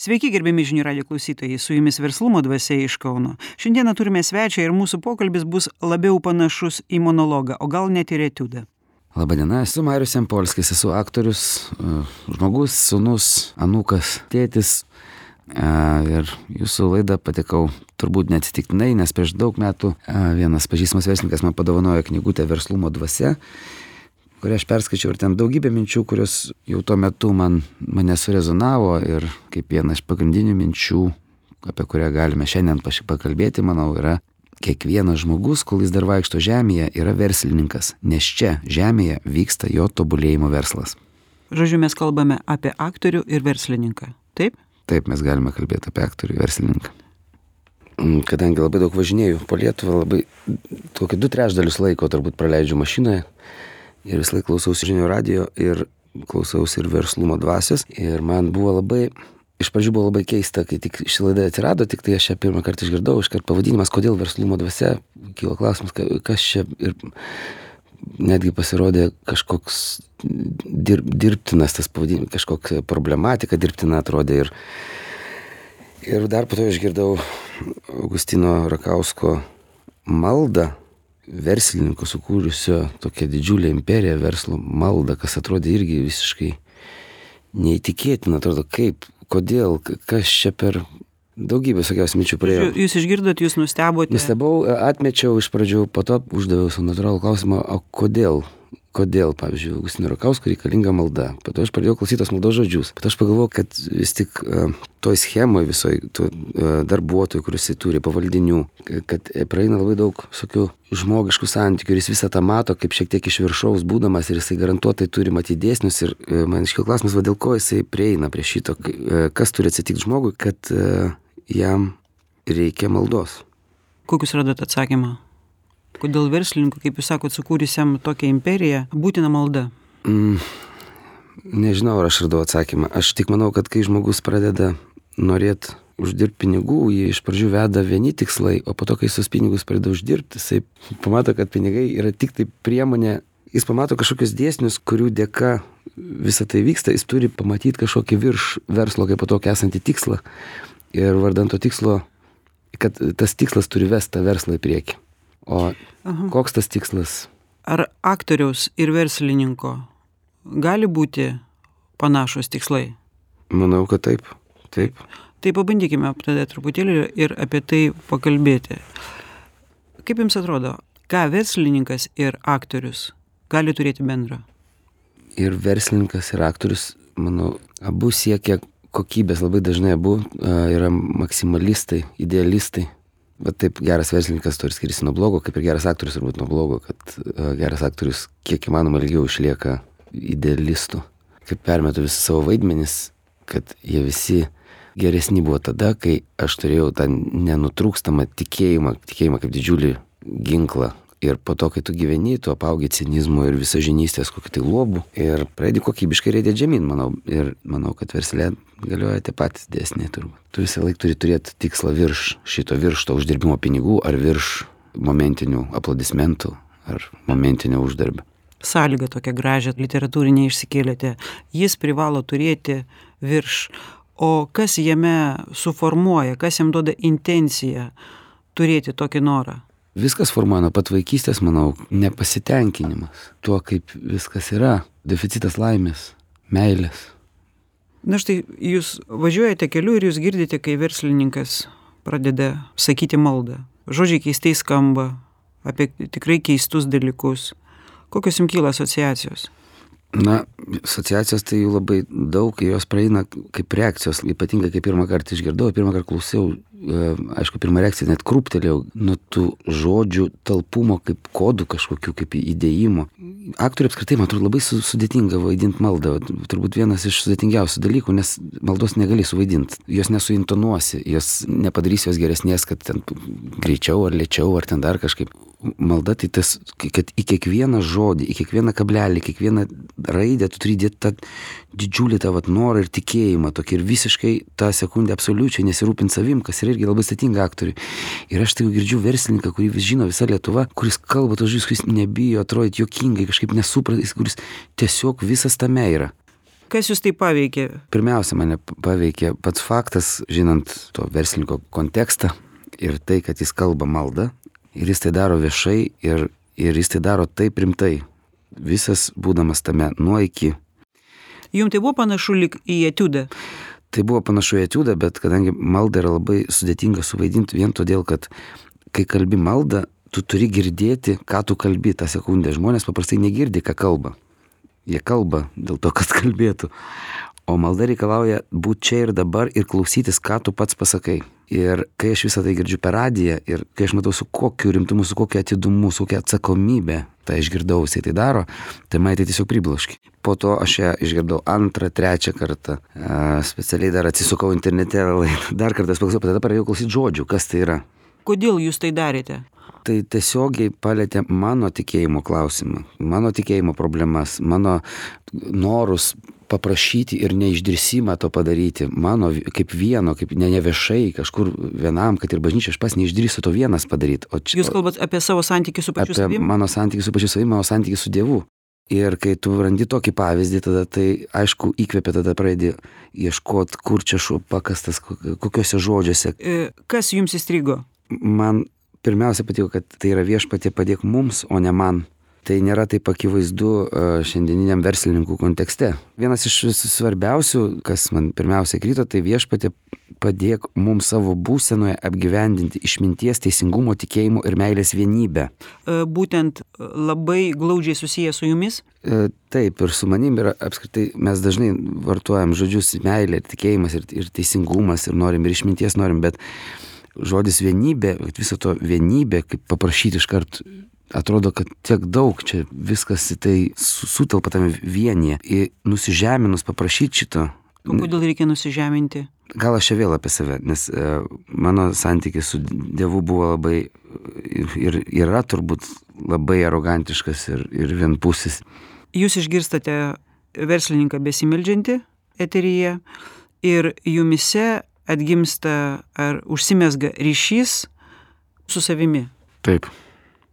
Sveiki, gerbiami žinių radijo klausytojai, su jumis Verslumo dvasia iš Kauno. Šiandieną turime svečią ir mūsų pokalbis bus labiau panašus į monologą, o gal net ir etiudą. Labadiena, esu Marius Jampolskis, esu aktorius, žmogus, sūnus, anūkas, tėtis. Ir jūsų laidą patekau turbūt neatsitiktinai, nes prieš daug metų vienas pažįstamas verslininkas man padovanojo knygutę Verslumo dvasia, kurią aš perskaičiau ir ten daugybė minčių, kurios jau tuo metu mane surezonavo ir kaip viena iš pagrindinių minčių, apie kurią galime šiandien pakalbėti, manau, yra kiekvienas žmogus, kol jis dar vaikšto žemėje, yra verslininkas, nes čia žemėje vyksta jo tobulėjimo verslas. Žodžiu, mes kalbame apie aktorių ir verslininką, taip? Taip, mes galime kalbėti apie aktorių ir verslininką. Kadangi labai daug važinėjau po Lietuvą, labai tokį 2/3 laiko turbūt praleidžiu mašinoje. Ir vis laik klausiausi žinių radijo ir klausiausi ir Verslumo dvasios. Ir man buvo iš pradžių buvo labai keista, kai tik ši laida atsirado, tik tai aš ją pirmą kartą išgirdau, iškart pavadinimas, kodėl Verslumo dvasia, kilo klausimas, kas čia ir netgi pasirodė kažkoks dirbtinas tas pavadinimas, kažkokia problematika dirbtina atrodė. Ir dar po to išgirdau Augustino Rakausko maldą, verslininko sukūrusio tokią didžiulę imperiją verslo maldą, kas atrodė irgi visiškai neįtikėtina, atrodo kodėl, kas čia per daugybę visokiausių minčių praėjo. Jūs išgirdot, jūs nustebote? Nustebau, atmečiau iš pradžių, po to uždaviau savo natūralų klausimą, o kodėl, pavyzdžiui, Augustino Rakausko reikalinga malda. Po to aš pradėjau klausyti tos maldos žodžius. Po to aš pagalvojau, kad vis tik toj schemoje visoj darbuotojų, kuris jis turi, pavaldinių, kad praeina labai daug visokių žmogiškų santykių ir jis visą tą mato kaip šiek tiek iš viršaus būdamas ir jisai garantuotai turi matyti dėsnius ir man iškilo klausimas, dėl ko jisai prieina prie šito, kas turi atsitikti žmogui, kad jam reikia maldos. Kokius radat atsakymą? Kodėl verslininkų, kaip jūs sakot, sukūrusiam tokią imperiją, būtina malda? Nežinau, ar aš radau atsakymą. Aš tik manau, kad kai žmogus pradeda norėti uždirbti pinigų, jį iš pradžių veda vieni tikslai, o po to, kai sus pinigus pradeda uždirbti, jisai pamato, kad pinigai yra tik tai priemonė, jis pamato kažkokius dėsnius, kurių dėka visą tai vyksta, jis turi pamatyti kažkokį virš verslo, kaip po to esantį tikslą. Ir vardant to tikslo, kad tas tikslas turi vesti tą verslą į priekį. O koks tas tikslas? Ar aktoriaus ir verslininko gali būti panašus tikslai? Manau, kad taip. Tai pabandykime tada truputėlį ir apie tai pakalbėti. Kaip jums atrodo, ką verslininkas ir aktorius gali turėti bendro? Ir verslininkas, ir aktorius, manau, abu siekia kokybės, labai dažnai abu yra maksimalistai, idealistai. Bet taip geras verslininkas turi skiriasi nuo blogo, kaip ir geras aktorius turbūt nuo blogo, kad geras aktorius kiek įmanoma ilgiau išlieka idealistu. Kaip permetu visi savo vaidmenis, kad jie visi geresni buvo tada, kai aš turėjau tą nenutrūkstamą tikėjimą kaip didžiulį ginklą. Ir po to, kai tu gyveni, tu apaugi cinizmo ir visažinystės kokį tai lobų ir pradedi kokybiškai reidėti žemyn, manau. Ir manau, kad versle galioja tie patys dėsniai turbūt. Tu visą laiką turi turėti tikslą virš to uždirbimo pinigų ar virš momentinių aplodismentų ar momentinio uždarbio. Sąlygą tokią gražią literatūrinę išsikėlėte. Jis privalo turėti virš. O kas jame suformuoja, kas jam duoda intenciją turėti tokį norą? Viskas formuoja nuo pat vaikystės, manau, nepasitenkinimas tuo, kaip viskas yra, deficitas laimės, meilės. Na štai, jūs važiuojate keliu ir jūs girdite, kai verslininkas pradeda sakyti maldą. Žodžiai keistai skamba, apie tikrai keistus dalykus. Kokios jums kyla asociacijos? Na, asociacijos tai jų labai daug, jos praeina kaip reakcijos, ypatingai kai pirmą kartą išgirdau, pirmą kartą klausiau, aišku, pirmą reakciją net krūptelėjau nuo tų žodžių talpumo kaip kodų kažkokių, kaip įdėjimo. Aktoriai apskritai, man atrodo, labai sudėtinga vaidinti maldą, turbūt vienas iš sudėtingiausių dalykų, nes maldos negali suvaidinti, jos nesuintonuosi, jos nepadarys jos geresnės, kad ten greičiau ar lėčiau ar ten dar kažkaip. Malda tai tas, kad į kiekvieną žodį, į kiekvieną kablelį, į kiekvieną raidę tu turi dėti tą didžiulį tą norą ir tikėjimą tokį ir visiškai tą sekundę absoliučiai nesirūpinti savim, kas yra irgi labai sudėtinga aktoriui. Ir aš tai girdžiu verslininką, kurį vis žino visa Lietuva, kuris kalba tos žodžius, kuris nebijo atrodyti juokingai, kažkaip nesupratęs, kuris tiesiog visas tame yra. Kas jūs tai paveikė? Pirmiausia, mane paveikė pats faktas, žinant to verslininko kontekstą ir tai, kad jis kalba maldą ir jis tai daro viešai ir jis tai daro taip rimtai. Visas būdamas tame nuo iki. Jums tai buvo panašu lyg į etiudą? Tai buvo panašu į etiudą, bet kadangi malda yra labai sudėtinga suvaidinti vien todėl, kad kai kalbi maldą, tu turi girdėti, ką tu kalbi tą sekundę. Žmonės paprastai negirdi, ką kalba. Jie kalba dėl to, kad kalbėtų. O malda reikalauja būti čia ir dabar ir klausytis, ką tu pats pasakai. Ir kai aš visą tai girdžiu per radiją ir kai aš matau su kokiu rimtumu, su kokiu atidumu, su kokia atsakomybė, tai išgirdau, jisai tai daro, tai man tai tiesiog pribloškė. Po to aš ją išgirdau 2, 3 kartą. Specialiai dar atsisukau internete, dar kartą paklausiau, tada pradėjau klausyti žodžių, kas tai yra. Kodėl jūs tai darėte? Tai tiesiogiai palėtė mano tikėjimo klausimą, mano tikėjimo problemas, mano norus paprašyti ir neišdrįsimą to padaryti. Mano kaip vieno, kaip ne viešai, kažkur vienam, kad ir bažnyčia, aš pas neišdrįsiu to vienas padaryti. Jūs kalbat apie savo santykį su pačiu savimi? Apie mano santykį su pačiu savimi, mano santykį su Dievu. Ir kai tu randi tokį pavyzdį, tada tai aišku įkvėpia, tada pradedi ieškoti, kur čia šuo pakastas, kokiuose žodžiuose. Kas jums įstrigo? Man pirmiausia patiko, kad tai yra Viešpatie padėk mums, o ne man. Tai nėra taip akivaizdu šiandieniniam verslininkų kontekste. Vienas iš svarbiausių, kas man pirmiausia krito, tai Viešpatie padėk mums savo būsenoje apgyvendinti išminties, teisingumo, tikėjimo ir meilės vienybę. Būtent labai glaudžiai susiję su jumis? Taip, ir su manim yra apskritai, mes dažnai vartojam žodžius meilė, tikėjimas ir teisingumas ir norim ir išminties norim, bet žodis vienybė, viso to vienybė, kaip paprašyti iškart, atrodo, kad tiek daug čia viskas į tai sutelpa tame vienyje. Ir nusižeminus paprašyti šito. O kodėl reikia nusižeminti? Gal aš čia vėl apie save, nes mano santykis su Dievu buvo labai ir yra turbūt labai arogantiškas ir vienpusis. Jūs išgirstate verslininką besimeldžiantį eteryje ir jumise atgimsta ar užsimezga ryšys su savimi. Taip.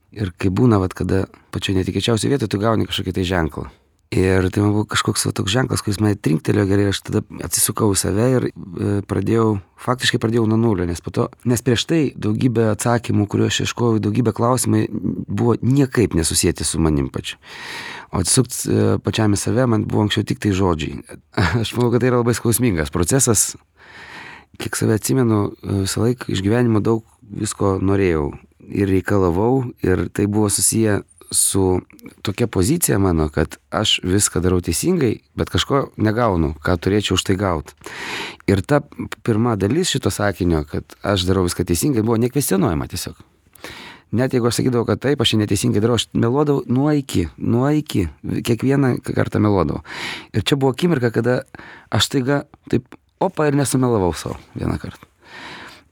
Ir kai būna, kada pačioje netikėčiausioje vietoje tu gauni kažkokį tai ženklą. Ir tai man buvo kažkoks toks ženklas, kuris mane trinktelėjo gerai, aš tada atsisukau į save ir faktiškai pradėjau nuo nulio, nes prieš tai daugybė atsakymų, kuriuos aš ieškojau, daugybė klausimai buvo niekaip nesusijęti su manim pačiu. O atsisukti pačiam į save man buvo anksčiau tik tai žodžiai. Aš manau, kad tai yra labai skausmingas procesas. Kiek save atsimenu, visą laiką iš gyvenimo daug visko norėjau ir reikalavau ir tai buvo susiję su tokia pozicija mano, kad aš viską darau teisingai, bet kažko negaunu, ką turėčiau už tai gauti. Ir ta pirma dalis šito sakinio, kad aš darau viską teisingai, buvo nekvestionuojama tiesiog. Net jeigu aš sakydavau, kad taip, aš neteisingai darau, aš meluodavau nuo iki, kiekvieną kartą meluodavau. Ir čia buvo akimirka, kada aš taiga taip ir nesumelavau savo vieną kartą.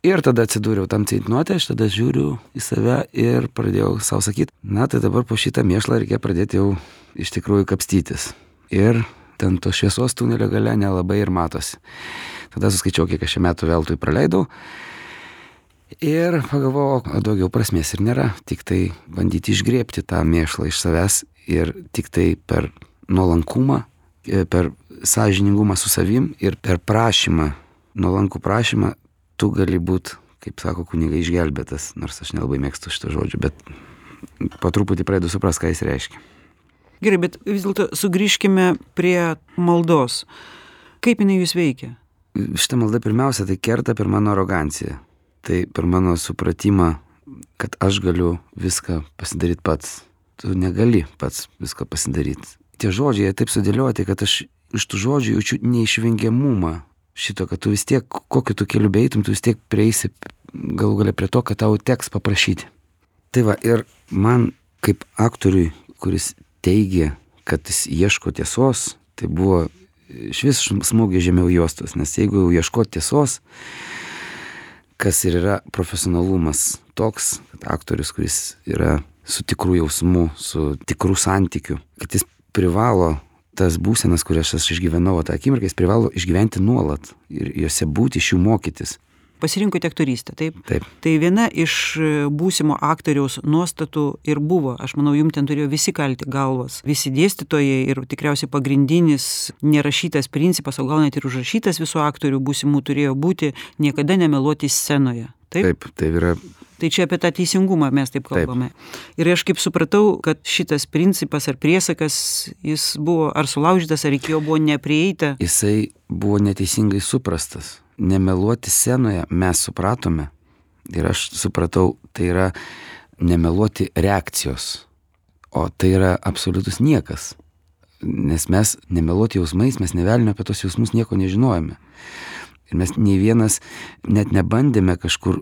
Ir tada atsidūriau tam ceitnote, aš tada žiūriu į save ir pradėjau savo sakyti, tai dabar po šitą mėšlą reikia pradėti jau iš tikrųjų kapstytis. Ir ten to šviesos tunelio gale nelabai ir matosi. Tada suskaičiau, kiek aš šią metų veltui praleidau. Ir pagalvojau, daugiau prasmės ir nėra. Tik tai bandyti išgrėbti tą mėšlą iš savęs ir tik tai per nuolankumą, per sąžiningumą su savim ir per prašymą, nuolankų prašymą, tu gali būti, kaip sako kunigai, išgelbėtas, nors aš nelabai mėgstu šitą žodžių, bet po truputį pradedu suprast, ką jis reiškia. Gerai, bet vis dėlto sugrįžkime prie maldos. Kaip jinai jūs veikia? Šitą maldą pirmiausia tai kerta per mano aroganciją. Tai per mano supratimą, kad aš galiu viską pasidaryti pats. Tu negali pats viską pasidaryti. Tie žodžiai taip sudėlioti, kad aš iš tų žodžių jaučiu neišvengiamumą šito, kad tu vis tiek, kokiu tu keliu beeitum, tu vis tiek prieisi galų galia prie to, kad tau teks paprašyti. Tai va, ir man kaip aktoriui, kuris teigia, kad jis ieško tiesos, tai buvo švis smūgė žemiau juostos, nes jeigu jau ieško tiesos, kas ir yra profesionalumas toks, kad aktorius, kuris yra su tikrų jausmų, su tikrų santykių, kad jis privalo tas būsenas, kurias aš išgyvenau tą akimirką, jis privalo išgyventi nuolat ir juose būti, iš jų mokytis. pasirinkote aktorystę, taip? Taip. Tai viena iš būsimo aktoriaus nuostatų ir buvo, aš manau, jums ten turėjo visi kalti galvas, visi dėstytojai ir tikriausiai pagrindinis nerašytas principas, o gal net ir užrašytas visų aktorių būsimų turėjo būti niekada nemeluoti scenoje. Taip? Tai yra. Tai čia apie tą teisingumą mes taip kalbame. Ir aš kaip supratau, kad šitas principas ar priesakas, jis buvo ar sulaužytas, ar iki jo buvo neprieita. Jisai buvo neteisingai suprastas. Nemeluoti scenoje mes supratome. Ir aš supratau, tai yra nemeluoti reakcijos. O tai yra absoliutus niekas. Nes mes nemeluoti jausmais, mes nevelnio apie tos jausmus nieko nežinojame. Ir mes nei vienas net nebandėme kažkur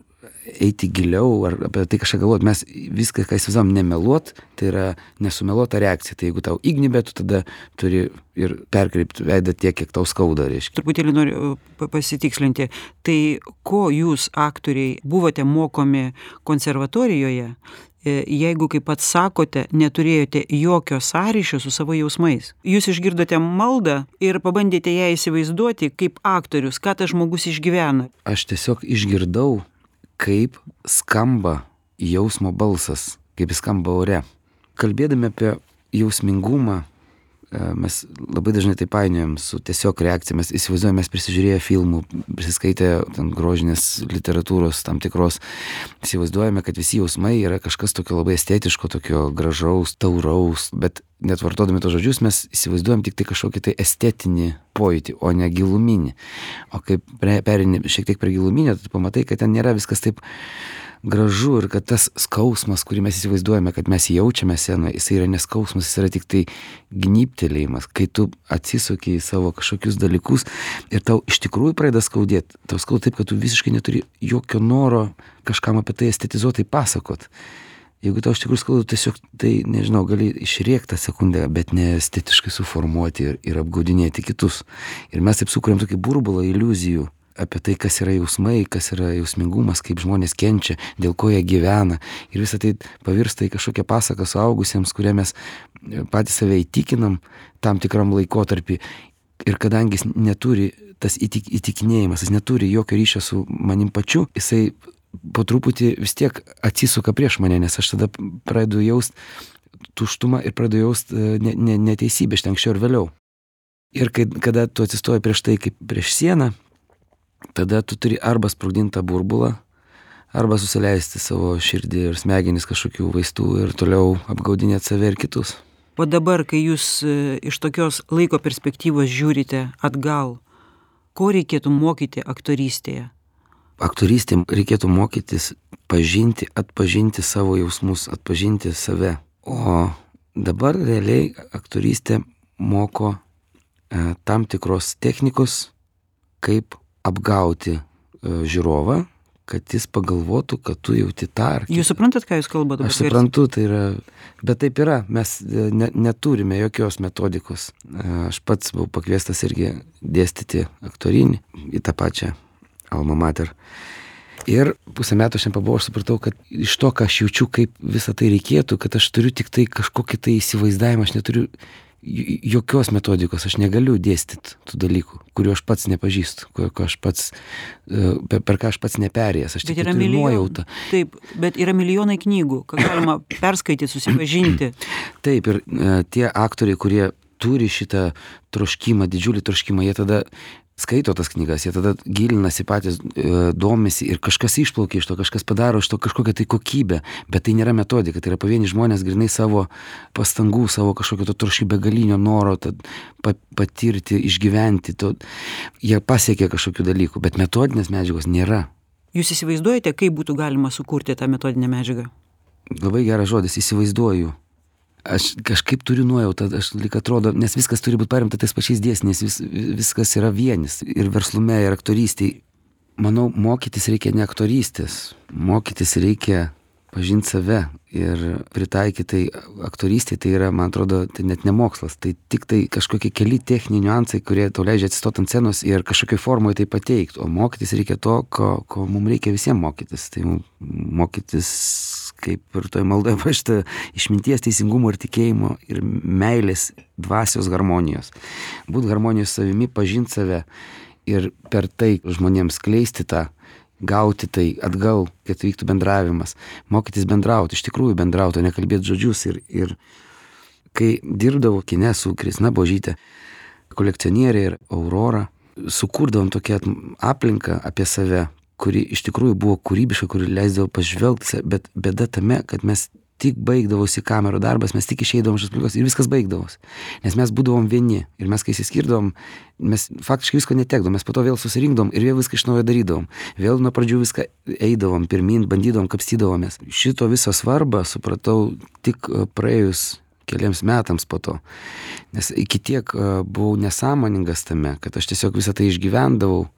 eiti giliau ar apie tai kažką galvoti. Mes viską, ką įsivaizduojam, nemeluot, tai yra nesumeluota reakcija. Tai jeigu tau įgnybė, tu tada turi ir perkreipti veidą tiek, kiek tau skauda, reiškia. Truputėlį noriu pasitikslinti. Tai ko jūs, aktoriai, buvote mokomi konservatorijoje, jeigu, kaip pats sakote, neturėjote jokio sąryšio su savo jausmais? Jūs išgirdote maldą ir pabandėte ją įsivaizduoti kaip aktorius, ką tas žmogus išgyvena. Aš tiesiog išgirdau, kaip skamba jausmo balsas, kaip jis skamba ore. Kalbėdami apie jausmingumą, mes labai dažnai tai painiojam su tiesiog reakcija. Mes įsivaizduojame, mes prisižiūrėję filmų, prisiskaitę grožinės literatūros tam tikros, įsivaizduojame, kad visi jausmai yra kažkas tokio labai estetiško, tokio gražaus, tauraus, bet net vartodami tos žodžius mes įsivaizduojam tik tai kažkokį tai estetinį pojūtį, o ne giluminį. O kai perini šiek tiek prie giluminio, tai pamatai, kad ten nėra viskas taip gražu ir kad tas skausmas, kurį mes įsivaizduojame, kad mes jaučiame scenoje, jis yra neskausmas, jis yra tik tai gnybtelėjimas, kai tu atsisuki į savo kažkokius dalykus ir tau iš tikrųjų pradeda skaudėti. Tau skauda taip, kad tu visiškai neturi jokio noro kažkam apie tai estetizuotai pasakot. Jeigu tau iš tikrųjų skauda, tiesiog tai, nežinau, gali išrėkti tą sekundę, bet ne estetiškai suformuoti ir apgaudinėti kitus. Ir mes taip sukuriam tokį burbulą iliuzijų apie tai, kas yra jausmai, kas yra jausmingumas, kaip žmonės kenčia, dėl ko jie gyvena. Ir visą tai pavirsta į kažkokią pasaką suaugusiems, kurią mes patys save įtikinam tam tikram laikotarpį. Ir kadangi jis neturi tas įtikinėjimas, jis neturi jokio ryšio su manim pačiu, jisai po truputį vis tiek atsisuka prieš mane, nes aš tada pradedu jaust tuštumą ir pradedu jaust neteisybę iš anksčiau ir vėliau. Ir kada tu atsistoji prieš tai kaip prieš sieną, tada tu turi arba sprogdinti tą burbulą, arba susileisti savo širdį ir smegenis kažkokių vaistų ir toliau apgaudinėti save ir kitus. O dabar, kai jūs iš tokios laiko perspektyvos žiūrite atgal, ko reikėtų mokyti aktorystėje? Aktorystėje reikėtų mokytis pažinti, atpažinti savo jausmus, atpažinti save. O dabar realiai aktorystė moko tam tikros technikos, kaip apgauti žiūrovą, kad jis pagalvotų, kad tu jauti tą ar kitą. Jūs suprantat, ką jūs kalbate? Aš suprantu, tai yra, bet taip yra, mes neturime jokios metodikos. Aš pats buvau pakviestas irgi dėstyti aktorinį į tą pačią Alma Mater. Ir pusę metų aš nepabuvau, aš supratau, kad iš to, ką aš jaučiu, kaip visą tai reikėtų, kad aš turiu tik tai kažkokį tai įsivaizdavimą, aš neturiu jokios metodikos, aš negaliu dėstyti tų dalykų, kuriuo aš pats nepažįstu, per ką aš pats neperėjęs, aš tik turiu nuojautą. Taip, bet yra milijonai knygų, ką galima perskaityti, susipažinti. Taip, ir tie aktoriai, kurie turi šitą troškimą, didžiulį troškimą, jie tada skaito tas knygas, jie tada gilinasi patys, domisi ir kažkas išplaukia iš to, kažkas padaro iš to kažkokią tai kokybę, bet tai nėra metodika, tai yra pavieni žmonės grinai savo pastangų, savo kažkokio to troškio begalinio noro patirti, išgyventi, jie pasiekia kažkokių dalykų, bet metodinės medžiagos nėra. Jūs įsivaizduojate, kaip būtų galima sukurti tą metodinę medžiagą? Labai geras žodis, įsivaizduoju. Aš kažkaip turiu nuojautą, aš lyg atrodo, nes viskas turi būti paremta tais pačiais dėsniais, viskas yra vienis ir verslume, ir aktorystėje. Manau, mokytis reikia ne aktorystės, mokytis reikia pažinti save ir pritaikyti tai aktorystėje, tai yra, man atrodo, tai net ne mokslas, tai tik tai kažkokie keli techniniai niuansai, kurie tau leidžia atsistoti ant scenos ir kažkokioj formoje tai pateikti, o mokytis reikia to, ko mums reikia visiems mokytis, tai mokytis kaip ir toj maldoje parašyta išminties, teisingumo ir tikėjimo ir meilės dvasios harmonijos. Būt harmonijos savimi, pažinti save ir per tai žmonėms skleisti tą gauti tai atgal, kad vyktų bendravimas, mokytis bendrauti, iš tikrųjų bendrauti, o ne kalbėti žodžius. Ir kai dirbdavau kine su Kristina Božytė, kolekcionierė ir Aurora, sukurdavom tokią aplinką apie save, kuri iš tikrųjų buvo kūrybiška, kuri leisdavo pažvelgti, bet bėda tame, kad mes tik baigdavosi kamerų darbas, mes tik išeidavom iš aplinkos ir viskas baigdavosi. Nes mes būdavom vieni ir mes kai įsiskirdavom, mes faktiškai visko netekdavom, mes po to vėl susirinkdavom ir vėl viską iš naujo darydavom. Vėl nuo pradžių viską eidavom, pirmin, bandydavom, kapstydavomės. Šito viso svarbą supratau tik praėjus keliams metams po to. Nes iki tiek buvau nesąmoningas tame, kad aš tiesiog visą tai išgyvendavau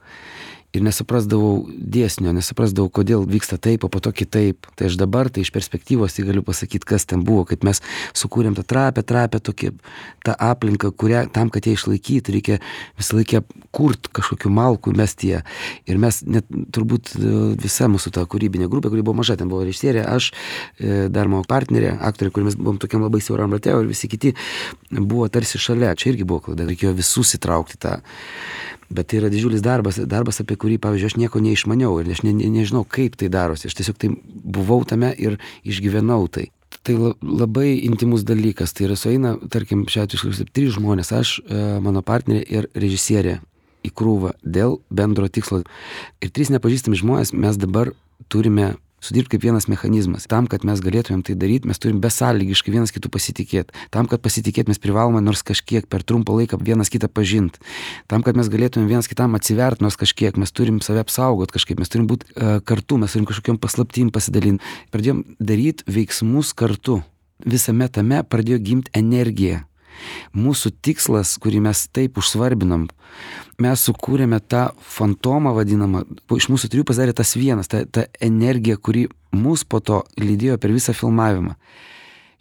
ir nesuprasdavau dėsnio, nesuprasdavau, kodėl vyksta taip, o po to kitaip. Tai aš dabar, tai iš perspektyvos, tai galiu pasakyti, kas ten buvo, kad mes sukūrėm tą trapę tokį, tą aplinką, kurią tam, kad ją išlaikyti, reikia visą laikę kurt kažkokiu malku mesti ją. Ir mes net turbūt visa mūsų ta kūrybinė grupė, kuri buvo maža, ten buvo režisierė, aš, dar mano partnerė, aktorė, kur mes buvom tokiam labai siauram rate, ir visi kiti buvo tarsi šalia. Čia irgi buvo klaida, reikėjo visus įtraukti tą. Bet tai yra didžiulis darbas, apie kurį, pavyzdžiui, aš nieko neišmaniau ir aš nežinau, kaip tai darosi. Aš tiesiog tai buvau tame ir išgyvenau tai. Tai labai intimus dalykas. Tai yra sueina, tarkim, šiuo atveju 3 žmonės, aš, mano partnerė ir režisierė į krūvą dėl bendro tikslo. Ir 3 nepažįstami žmonės mes dabar turime sudirbti kaip vienas mechanizmas. Tam, kad mes galėtumėm tai daryti, mes turim besąlygiškai vienas kitų pasitikėti. Tam, kad pasitikėti, mes privalome nors kažkiek per trumpą laiką vienas kitą pažinti. Tam, kad mes galėtumėm vienas kitam atsiverti nors kažkiek, mes turim save apsaugoti kažkaip, mes turim būti kartu, mes turim kažkokiam paslaptim pasidalinti. Pradėjom daryti veiksmus kartu. Visame tame pradėjo gimti energija. Mūsų tikslas, kurį mes taip užsvarbinom, mes sukūrėme tą fantomą vadinamą, iš mūsų 3 pasidarė tas vienas, ta energija, kuri mus po to lydėjo per visą filmavimą.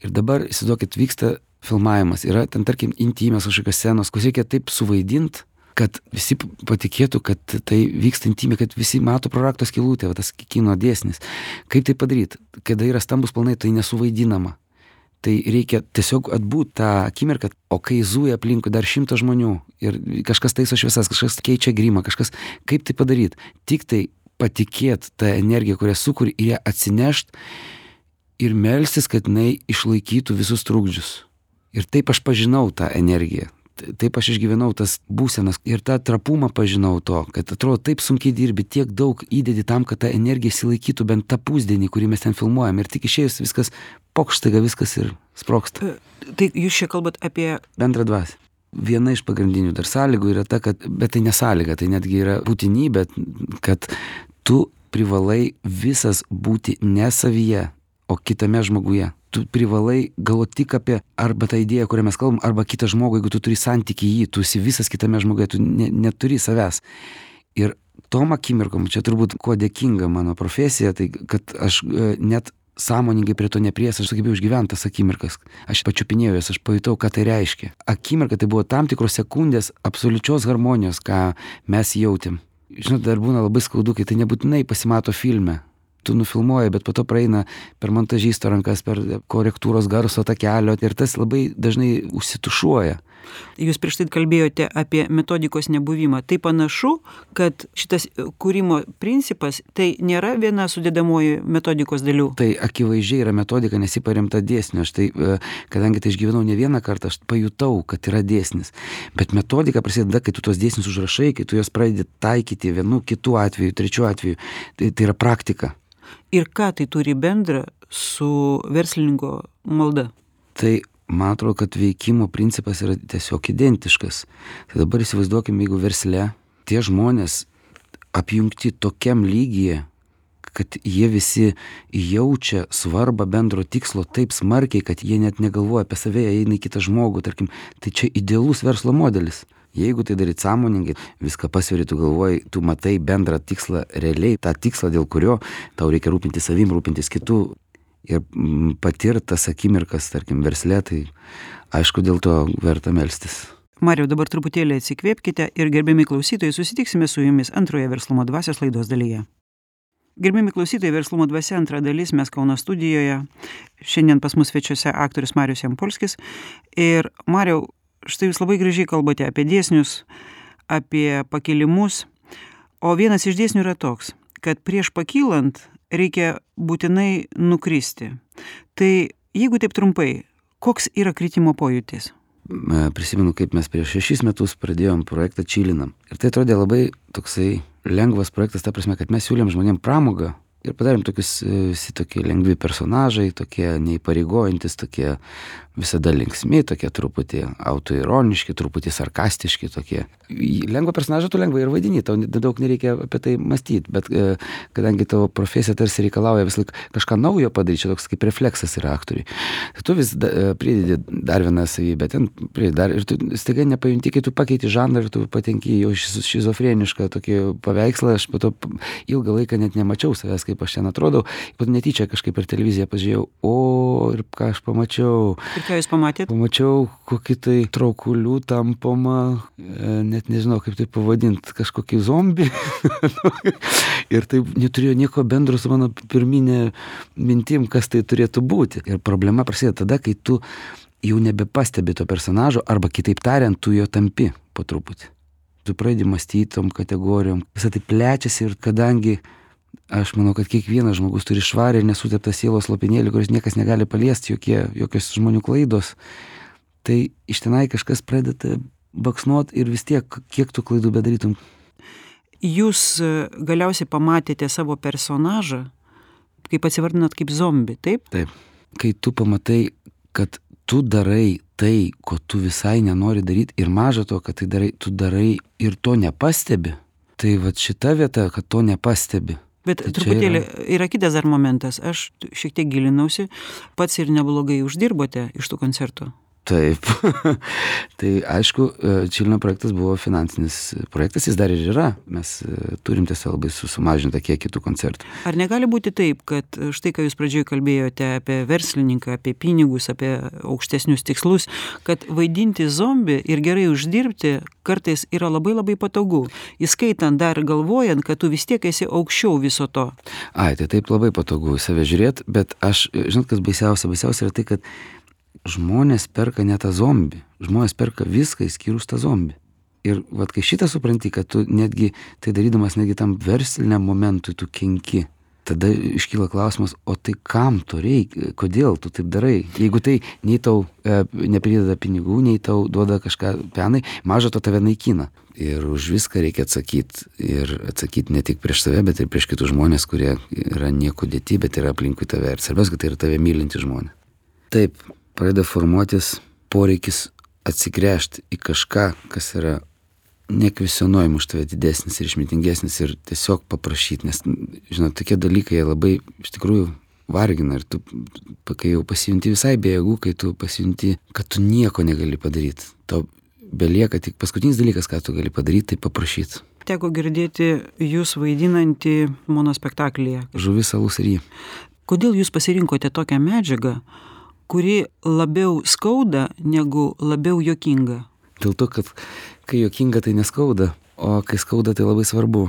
Ir dabar, įsivaizduokit, vyksta filmavimas, yra ten, tarkim, intymios kažkokios scenos, kur reikia taip suvaidinti, kad visi patikėtų, kad tai vyksta intymiai, kad visi mato pro rakto skylutę, tas kino dėsnis. Kaip tai padaryti? Kada yra stambus planai, tai nesuvaidinama. Tai reikia tiesiog atbūt tą akimirką, o kai zuja aplinkui dar 100 žmonių ir kažkas taiso šviesas, kažkas keičia grimą, kažkas, kaip tai padaryti? Tik tai patikėti tą energiją, kurią sukuri, ir ją atsinešti ir melstis, kad jinai išlaikytų visus trukdžius. Ir taip aš pažinau tą energiją. Taip aš išgyvenau tas būsenas ir tą trapumą pažinau to, kad atrodo taip sunkiai dirbi, tiek daug įdedi tam, kad ta energija išsilaikytų bent tą pusdienį, kurį mes ten filmuojam, ir tik išėjus viskas pokštaiga, viskas ir sprogsta. Tai jūs čia kalbat apie bendrą dvasią. Viena iš pagrindinių dar sąlygų yra ta, kad, bet tai nesąlyga, tai netgi yra būtinybė, kad tu privalai visas būti ne savyje, o kitame žmoguje. Tu privalai galvoti tik apie arba tą idėją, kurią mes kalbam, arba kitą žmogų, jeigu tu turi santykį jį, tu esi visas kitame žmoguje, tu neturi savęs. Ir tom akimirkom, čia turbūt kuo dėkinga mano profesija, tai kad aš net sąmoningai prie to nepries, aš sugebėjau išgyventi tas akimirkas. Aš pačiupinėjau jas, aš pajutau, ką tai reiškia. Akimirka tai buvo tam tikros sekundės absoliučios harmonijos, ką mes jautėm. Žinot, dar būna labai skaudu, kai tai nebūtinai pasimato filme. Tu nufilmuoji, bet po to praeina per montažisto rankas, per korektūros garso takelio ir tas labai dažnai užsitušuoja. Jūs prieš tai kalbėjote apie metodikos nebuvimą. Tai panašu, kad šitas kūrimo principas tai nėra viena sudėdamoji metodikos dalių. Tai akivaizdžiai yra metodika, nes ji paremta dėsniu. Aš tai, kadangi tai išgyvenau ne vieną kartą, aš pajutau, kad yra dėsnis. Bet metodika prasideda, kai tu tos dėsnius užrašai, kai tu juos pradedi taikyti vienu, kitu atveju, trečiu atveju. Tai yra praktika. Ir ką tai turi bendra su verslininko malda? Tai man atrodo, kad veikimo principas yra tiesiog identiškas. Tai dabar įsivaizduokime, jeigu versle tie žmonės apjungti tokiam lygyje, kad jie visi jaučia svarbą bendro tikslo taip smarkiai, kad jie net negalvoja apie save, jie eina į kitą žmogų, tarkim, tai čia idealus verslo modelis. Jeigu tai daryt sąmoningai, viską pasveri, tu galvoji, tu matai bendrą tikslą realiai, tą tikslą, dėl kurio tau reikia rūpintis savim, rūpintis kitų ir patirti tas akimirkas, tarkim, versle, tai aišku, dėl to verta melstis. Mariau, dabar truputėlį atsikvėpkite ir gerbiami klausytojai, susitiksime su jumis antroje Verslumo dvasios laidos dalyje. Gerbiami klausytojai, Verslumo dvasia antra dalis, mes Kauno studijoje. Šiandien pas mus svečiuose aktorius Marius Jampolskis. Ir Mariau, štai jūs labai gražiai kalbate apie dėsnius, apie pakilimus, o vienas iš dėsnių yra toks. kad prieš pakylant reikia būtinai nukristi. Tai jeigu taip trumpai, koks yra kritimo pojūtis? Prisimenu, kaip mes prieš 6 metus pradėjom projektą Čilinam. Ir tai atrodė labai toksai lengvas projektas, ta prasme, kad mes siūlėm žmonėm pramogą ir padarėm tokius visi tokie lengvi personažai, tokie neįpareigojantis, tokie visada linksmi, tokie truputį autoironiški, truputį sarkastiški tokie. Lengvą personažą tu lengvai ir vaidini, tau daug nereikia apie tai mąstyti, bet kadangi tavo profesija tarsi reikalauja vis laik kažką naujo padaryti, čia toks kaip refleksas yra aktoriui. Tu vis pridedi dar vieną savybę, ten pridedi dar ir tu staiga nepajunti, kai tu pakeiti žanrą ir tu patenki jau šizofrenišką tokį paveikslą, aš po to ilgą laiką net nemačiau savęs, kaip aš ten atrodau, po to netyčia kažkaip per televiziją pažiūrėjau, ir ką aš pamačiau. Ką jūs pamatėt? Pamačiau kokį tai traukulių tampomą, net nežinau kaip tai pavadinti, kažkokį zombį. Ir tai neturėjo nieko bendro su mano pirminė mintim, kas tai turėtų būti. Ir problema prasideda tada, kai tu jau nebepastebi to personažo, arba kitaip tariant, tu jo tampi po truputį. Tu pradedi mąstyti tom kategorijom. Visą tai plečiasi ir kadangi aš manau, kad kiekvienas žmogus turi švarę ir nesuteptą sielos lopinėlį, kuris niekas negali paliesti, jokios žmonių klaidos. Tai iš tenai kažkas pradeda baksnuot ir vis tiek, kiek tų klaidų bedarytum. Jūs galiausiai pamatėte savo personažą, kaip atsivardinat, kaip zombį, taip? Taip. Kai tu pamatai, kad tu darai tai, ko tu visai nenori daryti ir maža to, kad tai darai, tu darai ir to nepastebi, tai vat šita vieta, kad to nepastebi. Bet tai truputėlį yra kitas dar momentas. Aš šiek tiek gilinausi, pats ir neblogai uždirbote iš tų koncertų. Taip. Tai aišku, Čilino projektas buvo finansinis projektas, jis dar ir yra. Mes turim tiesiog labai sumažintą kiekį tų koncertų. Ar negali būti taip, kad štai, ką jūs pradžioje kalbėjote apie verslininką, apie pinigus, apie aukštesnius tikslus, kad vaidinti zombį ir gerai uždirbti kartais yra labai labai patogu, įskaitant dar galvojant, kad tu vis tiek esi aukščiau viso to. Tai taip labai patogu į save žiūrėti, bet aš, žinot, kas baisiausia yra tai, kad žmonės perka ne tą zombį, žmonės perka viską įskyrus tą zombį. Ir vat kai šitą supranti, kad tu netgi tai darydamas netgi tam versliniam momentui tu kenki, tada iškyla klausimas, o tai kam to reikia, kodėl tu taip darai? Jeigu tai nei tau neprideda pinigų, nei tau duoda kažką penai, maža to tave naikina. Ir už viską reikia atsakyti. Ir atsakyti ne tik prieš save, bet ir prieš kitus žmonės, kurie yra nieko dėti, bet yra aplinkui tave. Ir svarbiausia, kad tai yra tave mylinti žmonės. Taip, pradeda formuotis poreikis atsigręžti į kažką, kas yra nekvesionuojama už tave didesnis ir išmintingesnis ir tiesiog paprašyti, nes, žinot, tokie dalykai labai iš tikrųjų vargina ir tu, kai jau pasijunti visai be jėgų, kai tu pasijunti, kad tu nieko negali padaryti, tau belieka tik paskutinis dalykas, ką tu gali padaryti, tai paprašyti. Teko girdėti jūs vaidinantį monospektaklyje. Žuvis, alus ir jį. Kodėl jūs pasirinkote tokią medžiagą, kuri labiau skauda negu labiau juokinga? Dėl to, kad kai juokinga, tai neskauda, o kai skauda, tai labai svarbu.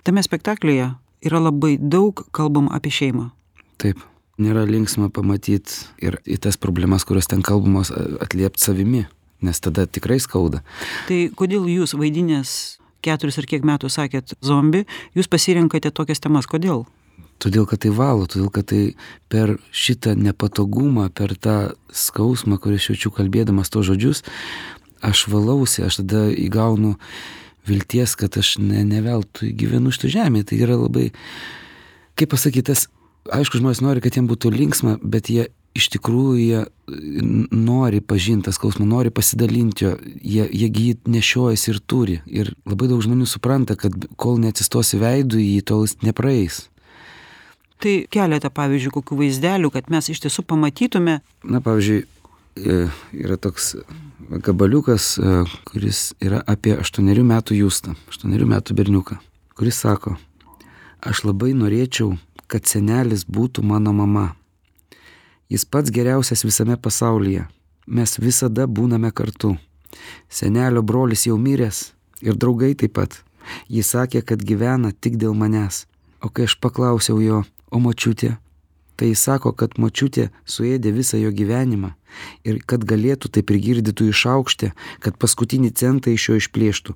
Tame spektaklyje yra labai daug kalbama apie šeimą. Taip, nėra linksma pamatyti ir į tas problemas, kurios ten kalbamos, atliepti savimi, nes tada tikrai skauda. Tai kodėl jūs vaidinęs 4 ar kiek metų sakėt zombį, jūs pasirinkate tokias temas, kodėl? Todėl, kad tai valo, todėl, kad tai per šitą nepatogumą, per tą skausmą, kurį aš jaučiu kalbėdamas to žodžius, aš valausi, aš tada įgaunu vilties, kad aš ne veltui gyvenu šitą žemę. Tai yra labai, kaip pasakytas, aišku, žmonės nori, kad jiems būtų linksma, bet jie iš tikrųjų nori pažinti tą skausmą, nori pasidalinti jo, jie jį nešiojasi ir turi. Ir labai daug žmonių supranta, kad kol neatsistosi veidų, jį tol jis nepraeis. Tai keletą, pavyzdžiui, kokių vaizdelių, kad mes iš tiesų pamatytume. Na, pavyzdžiui, yra toks gabaliukas, kuris yra apie 8 metų Justą, 8 metų berniuką, kuris sako, aš labai norėčiau, kad senelis būtų mano mama. Jis pats geriausias visame pasaulyje. Mes visada būname kartu. Senelio brolis jau miręs ir draugai taip pat. Jis sakė, kad gyvena tik dėl manęs. O kai aš paklausiau jo, o močiutė, tai jis sako, kad močiutė suėdė visą jo gyvenimą ir kad galėtų tai prigirdytų išaukštę, kad paskutinį centą iš jo išplėštų.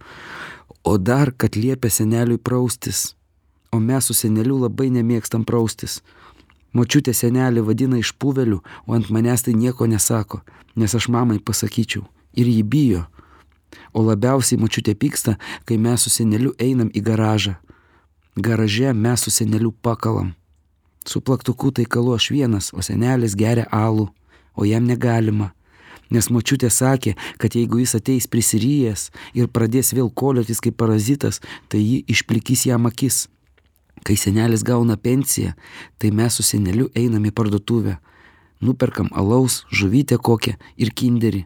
O dar, kad liepė seneliui praustis. o mes su seneliu labai nemėgstam praustis. Močiutė senelį vadina išpuveliu, o ant manęs tai nieko nesako, nes aš mamai pasakyčiau. Ir ji bijo. O labiausiai močiutė pyksta, kai mes su seneliu einam į garažą. Garaže mes su seneliu pakalam. Su plaktuku tai kalu aš vienas, o senelis geria alų, o jam negalima. Nes močiutė sakė, kad jeigu jis ateis prisiryjęs ir pradės vėl koliotis kaip parazitas, tai ji išplikys jam akis. Kai senelis gauna pensiją, tai mes su seneliu einam į parduotuvę. Nuperkam alaus, žuvytę kokią ir kinderį.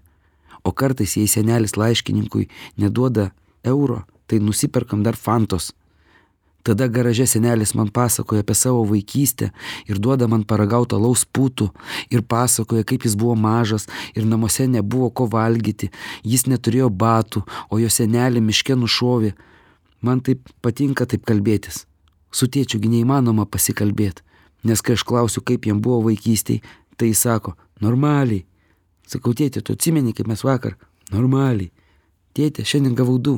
O kartais, jei senelis laiškininkui neduoda euro, tai nusiperkam dar fantos. Tada garaže senelis man pasakoja apie savo vaikystę ir duoda man paragauti alaus putų ir pasakoja, kaip jis buvo mažas ir namuose nebuvo ko valgyti, jis neturėjo batų, o jo senelį miške nušovė. Man taip patinka taip kalbėtis. Su tėčiugi neįmanoma pasikalbėti, nes kai aš klausiu, kaip jam buvo vaikystėj, tai jis sako, normaliai. Sakau, tėtė, tu atsimeni, kaip mes vakar? Normaliai. Tėtė, šiandien gavau 2.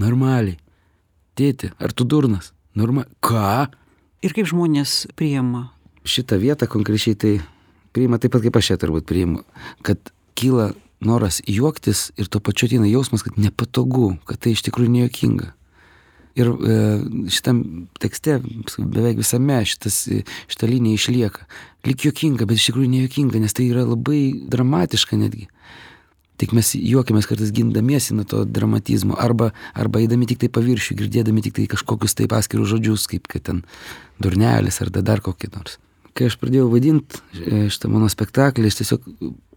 Normaliai. Tėtė, ar tu durnas? Ką? Ir kaip žmonės priima? Šitą vietą konkrečiai tai priima taip pat, kaip aš čia turbūt priimu, kad kyla noras juoktis ir tuo pačiu ateina jausmas, kad nepatogu, kad tai iš tikrųjų nejuokinga. Ir šitam tekste, beveik visame šita linija išlieka. Lyg juokinga, bet iš tikrųjų nejuokinga, nes tai yra labai dramatiška netgi. Tik mes juokiamės kartais gindamiesi nuo to dramatizmo, arba eidami tik tai paviršių, girdėdami tik tai kažkokius taip paskirus žodžius, kaip kad ten durnelis ar dar kokį nors. Kai aš pradėjau vaidinti šitą mano spektaklį, aš tiesiog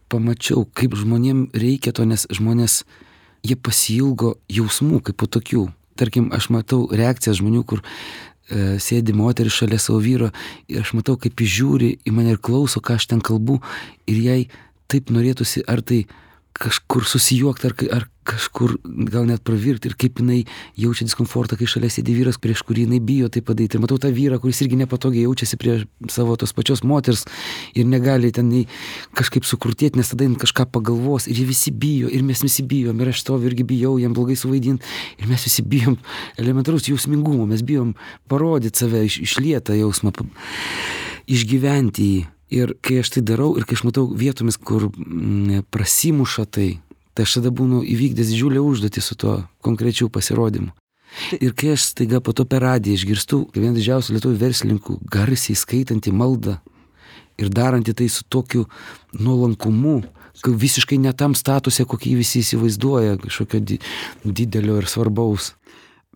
pamačiau, kaip žmonėm reikia to, nes žmonės, jie pasiilgo jausmų kaip po tokių. Tarkim, aš matau reakcijas žmonių, kur sėdi moteris šalia savo vyro ir aš matau, kaip jis žiūri į mane ir klauso, ką aš ten kalbu ir jai taip norėtųsi, ar tai kažkur susijuokti, ar kažkur gal net pravirti ir kaip jinai jaučia diskomfortą, kai šalia sėdi vyras, prieš kurį jinai bijo tai padaryti. Ir matau tą vyrą, kuris irgi nepatogiai jaučiasi prie savo tos pačios moters ir negali ten kažkaip sukrutėti, nes tada jin kažką pagalvos ir jie visi bijo ir mes visi bijom ir aš stoviu irgi bijau jam blogai suvaidinti ir mes visi bijom elementarus jausmingumo, mes bijom parodyti save, išlietą jausmą, išgyventi jį. Ir kai aš tai darau ir kai aš matau vietomis, kur prasimuša tai aš tada būnu įvykdęs didžiulę užduotį su tuo konkrečiu pasirodymu. Ir kai aš staiga po to per radiją išgirstu vieną didžiausių lietuvių verslininkų garsiai skaitantį maldą ir darantį tai su tokiu nuolankumu, visiškai ne tam statuse, kokį visi įsivaizduoja, kažkokio didelio ir svarbaus.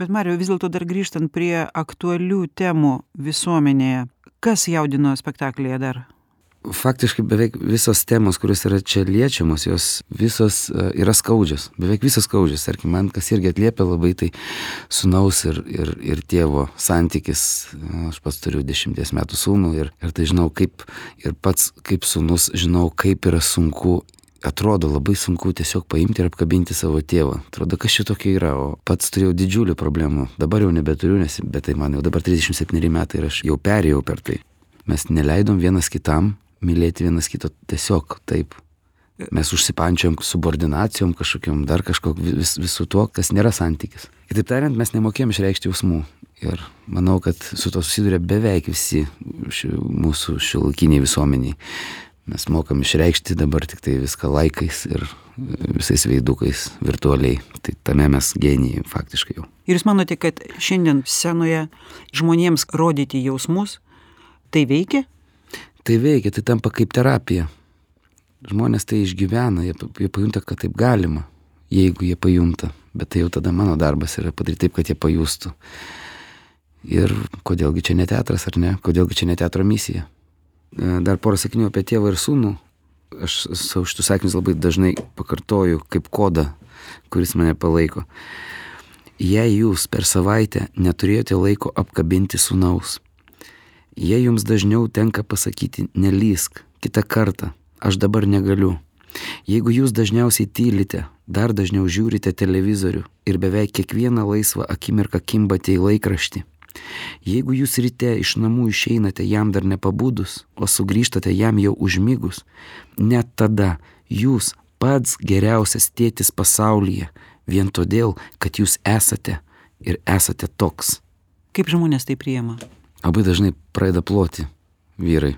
Bet Mariau, vis dėlto dar grįžtant prie aktualių temų visuomenėje, kas jaudino spektaklyje dar? Faktiškai beveik visos temos, kurios yra čia liečiamos, jos visos yra skaudžios, beveik visos skaudžios. Tarkim, man kas irgi atliepia labai, tai sūnaus ir tėvo santykis. Aš pats turiu 10 metų sūnų ir tai žinau kaip, ir pats kaip sūnus žinau, kaip yra sunku, atrodo labai sunku tiesiog paimti ir apkabinti savo tėvą. Atrodo, kas čia tokia yra, o pats turėjau didžiulių problemų. Dabar jau nebeturiu, bet tai man jau dabar 37 metai ir aš jau perėjau per tai. Mes neleidom vienas kitam mylėti vienas kito tiesiog taip. Mes užsipančiom subordinacijom kažkokiam, dar visų tuo, kas nėra santykis. Kitaip tariant, mes nemokėjom išreikšti jausmų. Ir manau, kad su to susiduria beveik visi mūsų šiuolaikiniai visuomeniai. Mes mokam išreikšti dabar tik tai viską laikais ir visais veidukais virtualiai. Tai tame mes genijai faktiškai jau. Ir jūs manote, kad šiandien scenoje žmonėms rodyti jausmus, tai veikia? Tai veikia, tai tampa kaip terapija. Žmonės tai išgyvena, jie pajunta, kad taip galima, jeigu jie pajunta. Bet tai jau tada mano darbas yra padaryti taip, kad jie pajustų. Ir kodėlgi čia ne teatras, ar ne? Kodėlgi čia ne teatro misija? Dar porą sakinių apie tėvą ir sūnų. Aš savo šitus sakinius labai dažnai pakartoju kaip kodą, kuris mane palaiko. Jei jūs per savaitę neturėjote laiko apkabinti sūnaus, jei jums dažniau tenka pasakyti nelysk, kitą kartą, aš dabar negaliu. Jeigu jūs dažniausiai tylite, dar dažniau žiūrite televizorių ir beveik kiekvieną laisvą akimirką kimbate į laikraštį, jeigu jūs ryte iš namų išeinate jam dar nepabudus, o sugrįžtate jam jau užmigus, net tada jūs pats geriausias tėtis pasaulyje, vien todėl, kad jūs esate ir esate toks. Kaip žmonės tai priima? Labai dažnai pradeda ploti vyrai,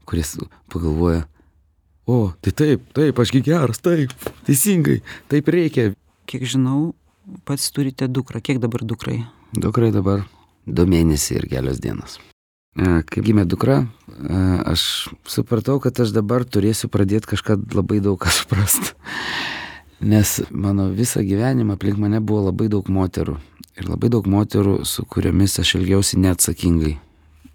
kuris pagalvoja, o, tai taip, ašgi geras, taip, teisingai, taip reikia. Kiek žinau, pats turite dukrą. Kiek dabar dukrai? Dukrai dabar 2 mėnesiai ir kelios dienos. Kai gimė dukra, aš supratau, kad aš dabar turėsiu pradėti kažką labai daug ką suprast. Nes mano visą gyvenimą aplink mane buvo labai daug moterų. Ir labai daug moterų, su kuriomis aš elgiausi neatsakingai,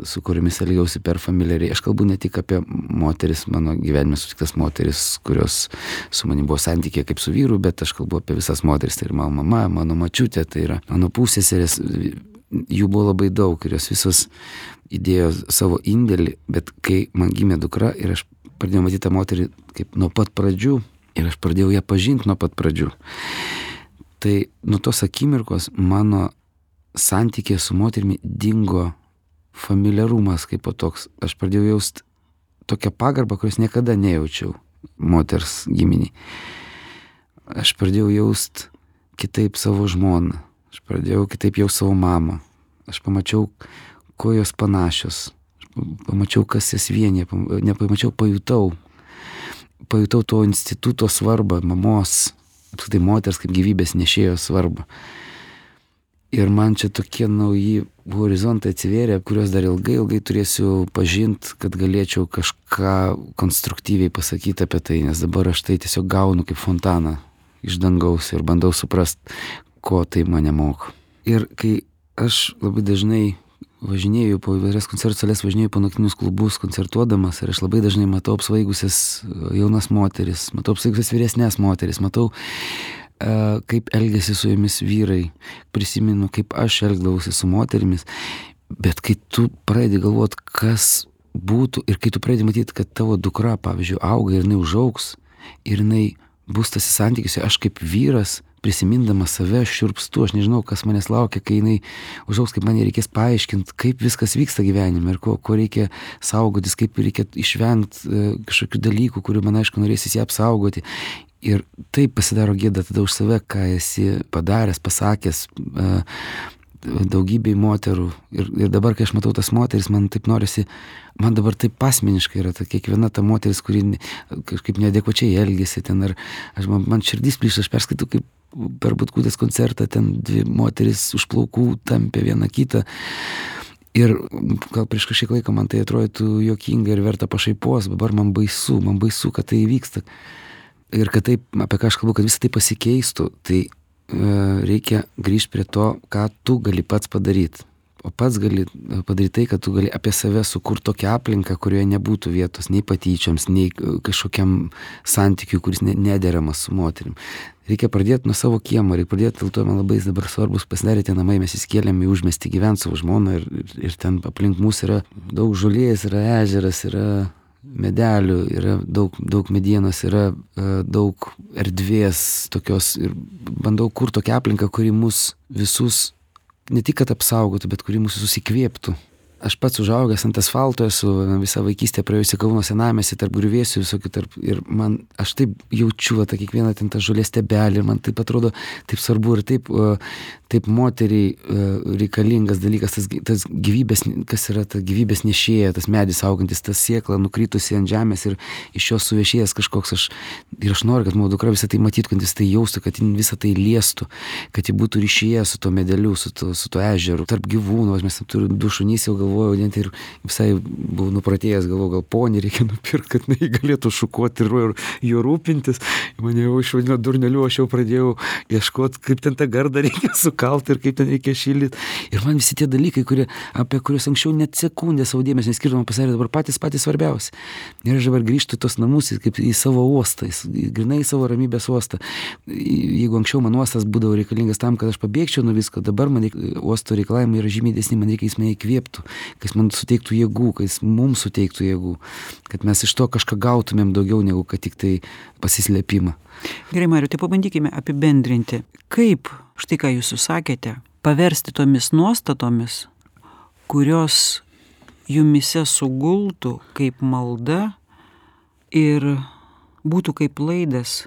su kuriomis elgiausi per familiariai. Aš kalbu ne tik apie moteris, mano gyvenime sutiktas moteris, kurios su manim buvo santykiai kaip su vyru, bet aš kalbu apie visas moteris. Tai ir mano mama, mano mačiutė, tai yra mano pusseserės. Jų buvo labai daug ir jos visos įdėjo savo indėlį, bet kai man gimė dukra ir aš pradėjau matyti tą moterį kaip nuo pat pradžių ir aš pradėjau ją pažinti nuo pat pradžių, tai nuo tos akimirkos mano santykė su moterimi dingo familiarumas kaip po toks. Aš pradėjau jausti tokią pagarbą, kurios niekada nejaučiau moters giminiai. Aš pradėjau jausti kitaip savo žmoną. Aš pradėjau kitaip jau savo mamą. Aš pamačiau, ko jos panašios. Aš pamačiau, kas jas vienė. Nepamačiau, pajutau. Pajutau to instituto svarbą, mamos, apskritai moters kaip gyvybės nešėjo svarbą. Ir man čia tokie nauji horizontai atsivėrė, kuriuos dar ilgai turėsiu pažinti, kad galėčiau kažką konstruktyviai pasakyti apie tai, nes dabar aš tai tiesiog gaunu kaip fontaną iš dangaus ir bandau suprast, ko tai mane moko. Ir kai aš labai dažnai važinėju po įvairias koncertų sales, važinėju po naktinius klubus koncertuodamas ir aš labai dažnai matau apsvaigusias jaunas moteris, matau apsvaigusias vyresnės moteris, matau kaip elgėsi su jomis vyrai, prisimenu, kaip aš elgdavausi su moterimis, bet kai tu pradedi galvoti, kas būtų ir kai tu pradedi matyti, kad tavo dukra, pavyzdžiui, auga ir jinai užaugs ir jinai bus tas santykiuose, aš kaip vyras, prisimindamas save, aš šiurpstu, aš nežinau, kas manęs laukia, kai jinai užaugs, kaip man reikės paaiškinti, kaip viskas vyksta gyvenime ir ko reikia saugotis, kaip reikia išvengti kažkokių dalykų, kurių man aišku norėsis ją apsaugoti. Ir taip pasidaro gėda tada už save, ką esi padaręs, pasakęs daugybei moterų. Ir dabar, kai aš matau tas moteris, man taip norisi, man dabar taip asmeniškai yra ta kiekviena ta moteris, kuri kažkaip neadekvačiai elgėsi ten, ar man širdis plyšta, aš perskaitau, kaip per Butkutės koncertą ten 2 moteris už plaukų tampė vieną kitą. Ir gal prieš kažkiek laiko man tai atrodytų juokinga ir verta pašaipos, dabar man baisu, kad tai įvyksta. Ir kad taip, apie ką aš kalbu, kad visą tai pasikeistų, tai reikia grįžti prie to, ką tu gali pats padaryti. O pats gali padaryti tai, kad tu gali apie save sukurti tokią aplinką, kurioje nebūtų vietos nei patyčioms, nei kažkokiam santykiui, kuris nederamas su moterim. Reikia pradėti nuo savo kiemo, reikia pradėti, dėl to man labai dabar svarbus pasidarė tie namai, mes įsikėlėm į užmiestį gyventi savo žmoną ir ten aplink mūsų yra daug žolės, yra ežeras, yra medelių, yra daug medienos, yra daug erdvės tokios ir bandau kurti tokią aplinką, kuri mus visus ne tik kad apsaugotų, bet kuri mūsų susikvėptų. Aš pats užaugęs ant asfalto esu visą vaikystę praėjusi Kauno senamiestį tarp griuvėsių visokių ir man, aš taip jaučiu tą kiekvieną ten tą žolės stiebelį ir man taip atrodo taip svarbu ir taip moteriai reikalingas dalykas, tas gyvybės, kas yra ta gyvybės nešėja, tas medis augantis, tas sėkla nukritusi ant žemės ir iš jos suvešėjęs kažkoks aš noriu, kad mano dukra visą tai matytų, kad jis tai jaustų, kad visą tai liestų, kad ji būtų ryšyje su to medeliu, su to ežeru, tarp gyvūnų, mes turim 2 šunys, jau galvojau, net ir visai buvau nupratėjęs, galvojau, gal ponį reikia nupirkti, kad jinai galėtų šukuoti ir jo rūpintis. Mane jau išvadino durneliu, aš jau pradėjau ieškoti, kaip ten tą gardą reikia sukalti ir kaip ten reikia šildyti. Ir man visi tie dalykai, apie kuriuos anksčiau net sekundę savo dėmesio neskirdavom, pasidarė dabar patys svarbiausi. Ir aš dabar grįžtu į tos namus, kaip į savo uostą, grynai į savo ramybės uostą. Jeigu anksčiau man uostas būdavo reikalingas tam, kad aš pabėgčiau nuo visko, dabar man uosto reikalavimai yra žymiai didesni, man reikia, jis mane įkvėptų, kad jis man suteiktų jėgų, kad jis mums suteiktų jėgų, kad mes iš to kažką gautumėm daugiau negu kad tik tai pasislėpimą. Gerai, Mariau, tai pabandykime apibendrinti, kaip, štai ką jūs sakėte, paversti tomis nuostatomis, kurios jumise sugultų kaip malda ir būtų kaip laidas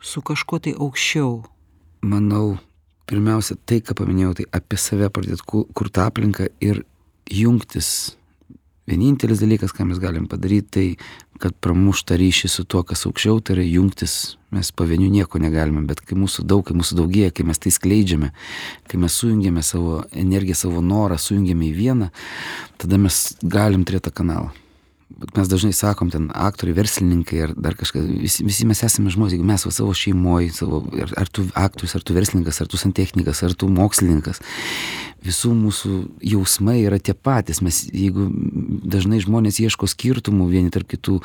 su kažkuo tai aukščiau. Manau, pirmiausia, tai, ką paminėjau, tai apie save pradėti kurti aplinką ir jungtis. Vienintelis dalykas, ką mes galim padaryti, tai kad pramuštą ryšį su tuo, kas aukščiau, tai yra jungtis. Mes pavienių nieko negalime, bet kai mūsų daugėja, kai mes tai skleidžiame, kai mes sujungiame savo energiją, savo norą, sujungiame į vieną, tada mes galim turėti tą kanalą. Bet mes dažnai sakom, ten aktoriai, verslininkai ar dar kažkas, visi mes esame žmonės, jeigu mes savo šeimoje, ar tu aktorius, ar tu verslininkas, ar tu santechnikas, ar tu mokslininkas, visų mūsų jausmai yra tie patys. Mes, jeigu dažnai žmonės ieško skirtumų vieni tarp kitų,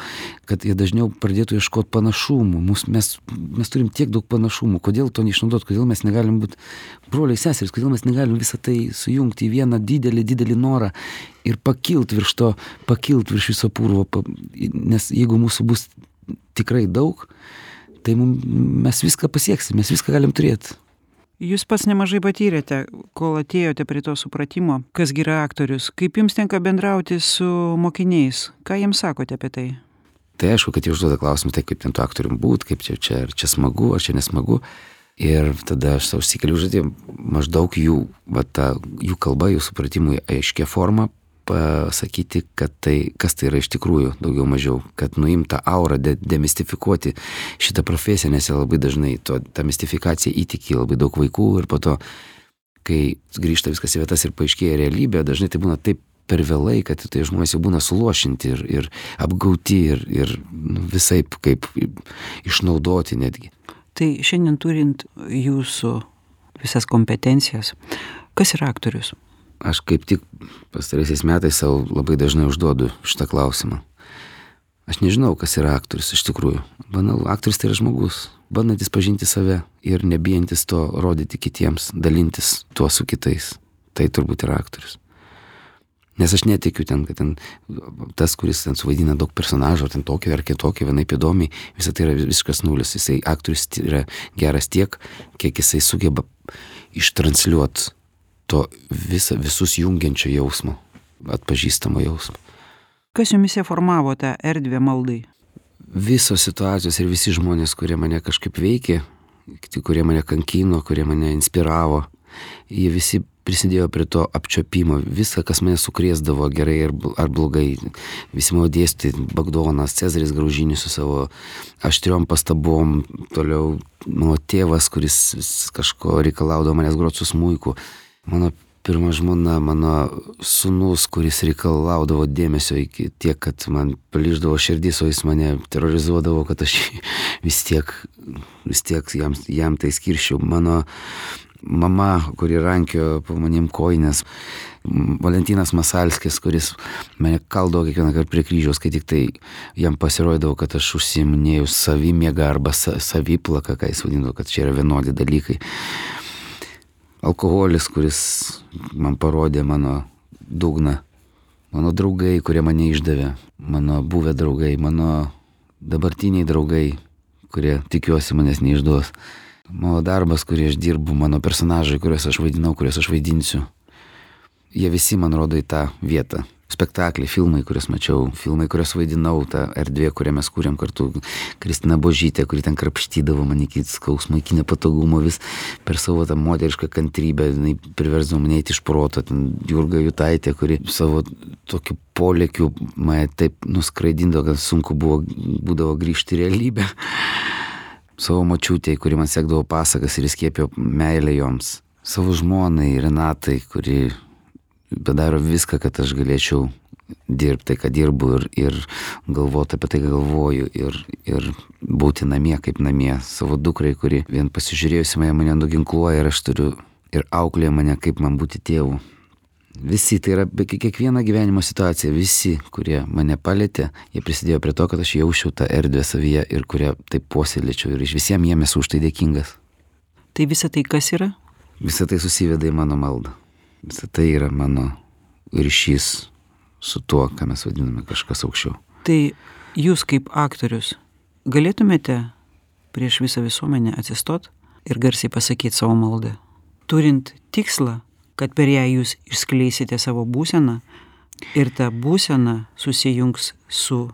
kad jie dažniau pradėtų ieškoti panašumų. Mes turim tiek daug panašumų. Kodėl to neišnaudoti? Kodėl mes negalim būti broliai seserys? Kodėl mes negalim visą tai sujungti į vieną didelį norą ir pakilt virš viso purvo? Nes jeigu mūsų bus tikrai daug, tai mes viską pasieksim, mes viską galim turėti. Jūs pats nemažai patyrėte, kol atėjote prie to supratimo, kas yra aktorius. Kaip jums tenka bendrauti su mokiniais? Ką jiems sakote apie tai? Tai aišku, kad jie užduoda klausimą, tai kaip ten tu aktorium būt, kaip ar čia smagu, ar čia nesmagu. Ir tada aš savo užsikeliu užduotį, maždaug jų kalba, jų supratimui aiškia forma pasakyti, kad kas tai yra iš tikrųjų, daugiau mažiau, kad nuimta aurą, demistifikuoti šitą profesiją, nes jie labai dažnai tą mistifikaciją įtiki labai daug vaikų ir po to, kai grįžta viskas į vietas ir paaiškėja realybė, dažnai tai būna taip per vėlai, kad tai žmonės jau būna suluošinti ir apgauti ir visaip kaip išnaudoti netgi. Tai šiandien turint jūsų visas kompetencijas, kas yra aktorius? Aš kaip tik pastaraisiais metais savo labai dažnai užduodu šitą klausimą. Aš nežinau, kas yra aktorius iš tikrųjų. Banalu, aktorius tai yra žmogus, bandantis pažinti save ir nebijantis to rodyti kitiems, dalintis tuo su kitais. Tai turbūt yra aktorius. Nes aš netikiu ten, kad ten tas, kuris ten suvaidina daug personažų, ten tokio ar kitokio, vienaip įdomiai, visą tai yra visiškas nulis. Jisai aktorius yra geras tiek, kiek jisai sugeba ištransliuoti to visus jungiančio jausmo, atpažįstamo jausmo. Kas jumise formavo tą erdvę maldai? Visos situacijos ir visi žmonės, kurie mane kažkaip veikė, kurie mane kankino, kurie mane inspiravo, jie visi prisidėjo prie to apčiuopimo. Viską, kas mane sukrėsdavo gerai ar blogai. Visi mano dėstytojai, Bagdonas, Cezaris Graužinis su savo aštriom pastabom, toliau mano tėvas, kuris kažko reikalaudavo manęs groti su smuiku. Mano pirma žmona, mano sūnus, kuris reikalaudavo dėmesio iki tiek, kad man plyšdavo širdis, o jis mane terrorizuodavo, kad aš vis tiek jam tai skirčiau. Mano mama, kuri rankiojo po manim kojines, Valentinas Masalskis, kuris mane kaldavo kiekvieną kartą prie kryžiaus, kai tik tai jam pasirodydavo, kad aš užsiiminėjau savimiegą arba saviplaką, ką jis vadindavo, kad čia yra vienodi dalykai. Alkoholis, kuris man parodė mano dugną. Mano draugai, kurie mane išdavė. Mano buvę draugai, mano dabartiniai draugai, kurie tikiuosi manęs neišduos. Mano darbas, kurį aš dirbu, mano personažai, kuriuos aš vaidinau, kuriuos aš vaidinsiu. Jie visi man rodo į tą vietą. Spektakliai, filmai, kuriuos mačiau, filmai, kuriuos vaidinau, ta erdvė, kurią mes kūrėm kartu. Kristina Božytė, kuri ten krapštydavo man iki skausmo, iki nepatogumo, vis per savo tą moterišką kantrybę, jinai priversdavo mane eiti iš proto. Ten Jurga Jutaitė, kuri savo tokiu polėkiu mane taip nuskraidindavo, kad sunku būdavo grįžti į realybę. Savo močiutei, kuri man sekdavo pasakas ir įskiepijo meilę joms. Savo žmonai Renatai, kuri padaro viską, kad aš galėčiau dirbti tai, ką dirbu ir galvoti apie tai, ką galvoju ir būti namie kaip namie. Savo dukrai, kuri vien pasižiūrėjusi mane nuginkluoja ir aš turiu ir auklėja mane, kaip man būti tėvu. Visi, tai yra kiekviena gyvenimo situacija, visi, kurie mane palėtė, jie prisidėjo prie to, kad aš jausčiau tą erdvę savyje ir kurie taip puoselėčiau ir iš visiems jiem esu už tai dėkingas. Tai visa tai kas yra? Visa tai susiveda į mano maldą. Visa tai yra mano ryšys su tuo, ką mes vadiname kažkas aukščiau. Tai jūs kaip aktorius galėtumėte prieš visą visuomenę atsistot ir garsiai pasakyti savo maldą, turint tikslą, kad per ją jūs išskleisite savo būseną ir ta būsena susijungs su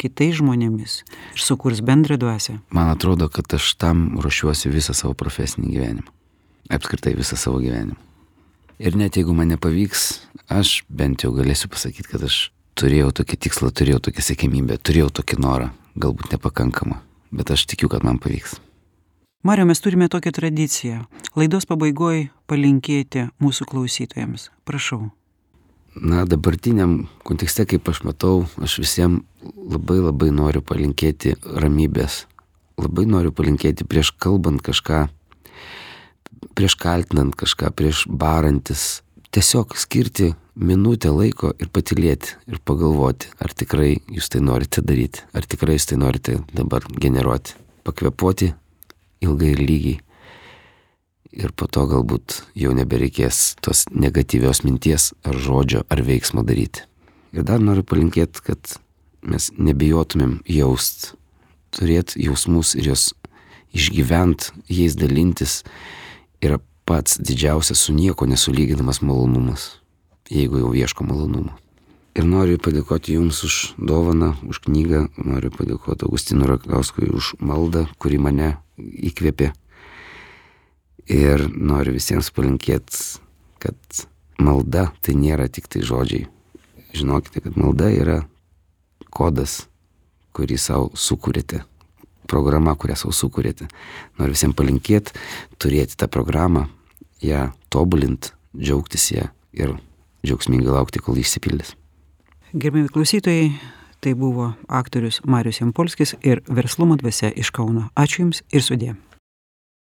kitais žmonėmis ir sukurs bendrą dvasią? Man atrodo, kad aš tam ruošiuosi visą savo profesinį gyvenimą. apskritai visą savo gyvenimą. Ir net jeigu man nepavyks, aš bent jau galėsiu pasakyti, kad aš turėjau tokį tikslą, turėjau tokią siekiamybę, turėjau tokį norą, galbūt nepakankamą, bet aš tikiu, kad man pavyks. Mariau, mes turime tokią tradiciją. Laidos pabaigoje palinkėti mūsų klausytojams. Prašau. Na, dabartiniam kontekste, kaip aš matau, aš visiems labai noriu palinkėti ramybės. Labai noriu palinkėti prieš kalbant kažką, prieš kaltinant kažką, prieš barantis. Tiesiog skirti minutę laiko ir patylėti ir pagalvoti, ar tikrai jūs tai norite daryti, ar tikrai jūs tai norite dabar generuoti. Pakvėpuoti ilgai ir lygiai. Ir po to galbūt jau nebereikės tos negatyvios minties ar žodžio ar veiksmo daryti. Ir dar noriu palinkėti, kad mes nebijotumėm jaust, turėti jausmus ir juos išgyvent, jais dalintis yra pats didžiausias su nieko nesulyginamas malonumas, jeigu jau ieško malonumo. Ir noriu padėkoti Jums už dovaną, už knygą, noriu padėkoti Augustinui Rakauskui už maldą, kuri mane įkvėpė. Ir noriu visiems palinkėti, kad malda tai nėra tik tai žodžiai. Žinokite, kad malda yra kodas, kurį savo sukūrėte, programa, kurią savo sukūrėte. Noriu visiems palinkėti, turėti tą programą, ją tobulinti, džiaugtis ją ir džiaugsmingai laukti, kol išsipildys. Gerbiami klausytojai, tai buvo aktorius Marius Jampolskis ir Verslumo dvasia iš Kauno. Ačiū Jums ir sudie.